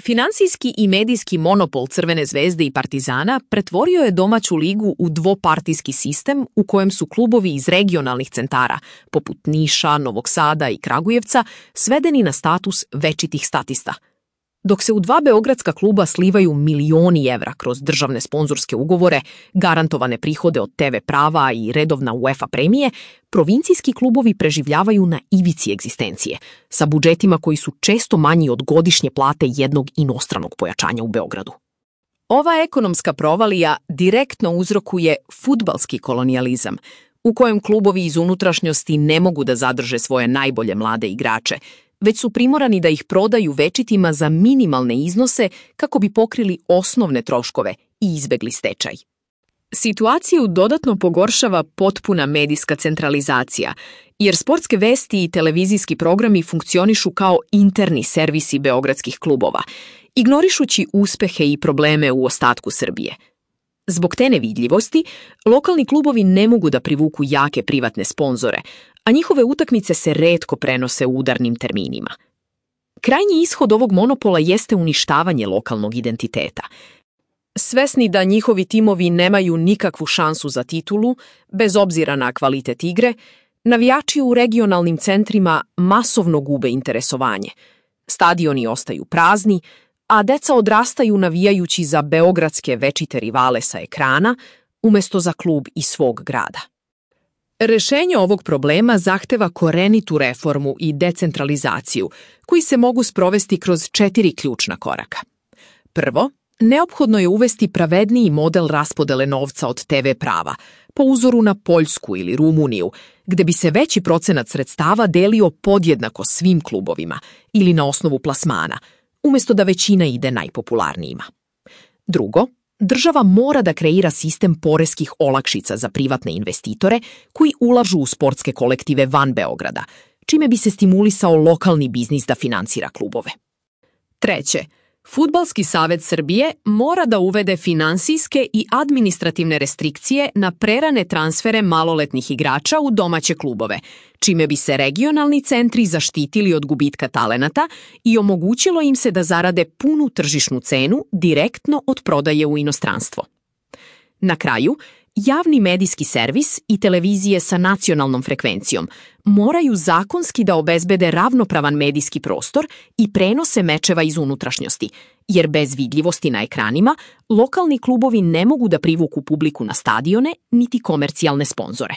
Finansijski i medijski monopol Crvene zvezde i Partizana pretvorio je domaću ligu u dvopartijski sistem u kojem su klubovi iz regionalnih centara, poput Niša, Novog Sada i Kragujevca, svedeni na status večitih statista. Dok se u dva beogradska kluba slivaju milioni evra kroz državne sponzorske ugovore, garantovane prihode od TV prava i redovna UEFA premije, provincijski klubovi preživljavaju na ivici egzistencije, sa budžetima koji su često manji od godišnje plate jednog inostranog pojačanja u Beogradu. Ova ekonomska provalija direktno uzrokuje fudbalski kolonijalizam, u kojem klubovi iz unutrašnjosti ne mogu da zadrže svoje najbolje mlade igrače, već su primorani da ih prodaju večitima za minimalne iznose kako bi pokrili osnovne troškove i izbegli stečaj. Situaciju dodatno pogoršava potpuna medijska centralizacija, jer sportske vesti i televizijski programi funkcionišu kao interni servisi beogradskih klubova, ignorišući uspehe i probleme u ostatku Srbije. Zbog te nevidljivosti, lokalni klubovi ne mogu da privuku jake privatne sponzore, a njihove utakmice se retko prenose u udarnim terminima. Krajnji ishod ovog monopola jeste uništavanje lokalnog identiteta. Svesni da njihovi timovi nemaju nikakvu šansu za titulu, bez obzira na kvalitet igre, navijači u regionalnim centrima masovno gube interesovanje. Stadioni ostaju prazni, a deca odrastaju navijajući za beogradske večite rivale sa ekrana, umesto za klub iz svog grada. Rešenje ovog problema zahteva korenitu reformu i decentralizaciju, koji se mogu sprovesti kroz 4 ključna koraka. Prvo, neophodno je uvesti pravedniji model raspodele novca od TV prava, po uzoru na Poljsku ili Rumuniju, gde bi se veći procenat sredstava delio podjednako svim klubovima ili na osnovu plasmana, umesto da većina ide najpopularnijima. Drugo, država mora da kreira sistem poreskih olakšica za privatne investitore koji ulažu u sportske kolektive van Beograda, čime bi se stimulisao lokalni biznis da finansira klubove. Treće, Fudbalski savez Srbije mora da uvede finansijske i administrativne restrikcije na prerane transfere maloletnih igrača u domaće klubove, čime bi se regionalni centri zaštitili od gubitka talenata i omogućilo im se da zarade punu tržišnu cenu direktno od prodaje u inostranstvo. Na kraju, javni medijski servis i televizije sa nacionalnom frekvencijom moraju zakonski da obezbede ravnopravan medijski prostor i prenose mečeva iz unutrašnjosti, jer bez vidljivosti na ekranima lokalni klubovi ne mogu da privuku publiku na stadione niti komercijalne sponzore.